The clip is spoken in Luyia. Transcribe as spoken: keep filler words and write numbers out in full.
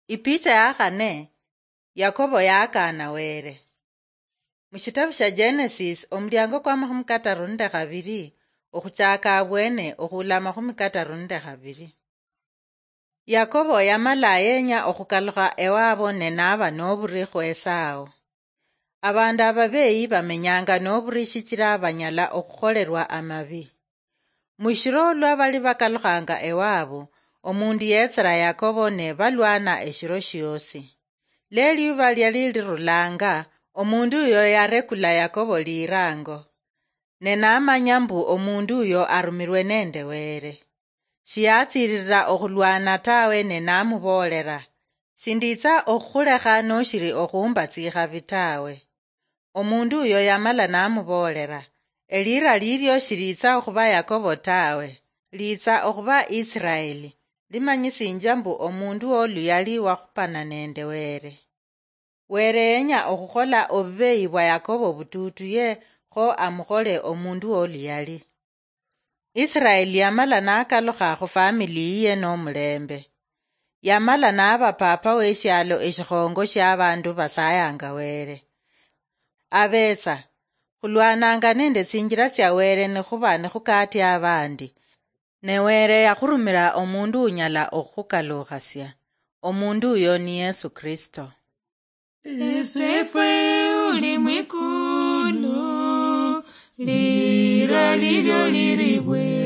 Ipicha ya khane, Yakobo yakaana Wele. Mushitabu shia Genesis, omuliango kwa makhumi kataru nende khabiri, okhuchaka abwene okhula makhumi kataru nende khabiri. Yakobo yamala yenya okhukalukha ewabo ne naba noburi khwesao. Abandu ababeyi bamenyanga noburi shichira banyala okhukholerwa amabi. Mushiro lwa bali bakalukhanga ewabo, omundu yetsera Yakobo ne balwana eshiro shiosi. Leliuba liali lirulanga, omundu uyo yarekula Yakobo lirango. Ne namanya mbu omundu uyo arumirwe nende Wele. Shiyatsiririra okhulwana tawe ne namuboolera, "Shinditsa okhukhulekha noshiri okhumba tsikhabi tawe." Omundu uyo yamala namuboolera, "Elira lilio shilitsa okhuba Yakobo tawe, litsa okhuba Israeli, limanyisinjia mbu omundu woluyali wakhupana nende Wele." Wele yenya okhukhola obubeyi bwa Yakobo bututuye kho amukhole omundu woluyali. Israeli yamala nakalukha khufamili yiye nomulembe. Yamala naba papa weshialo eshikhongo shiabandu basayanga Wele. Abetsa, khulwananga nende tsinjira tsia Wele nikhuba nikhukatia abandi. Ne Wele yakhurumira omundu unyala okhukhukalukhasia. Omundu uyo ni Yesu Kristo. Esefwe uli mwikulu, lira lilio liribwe.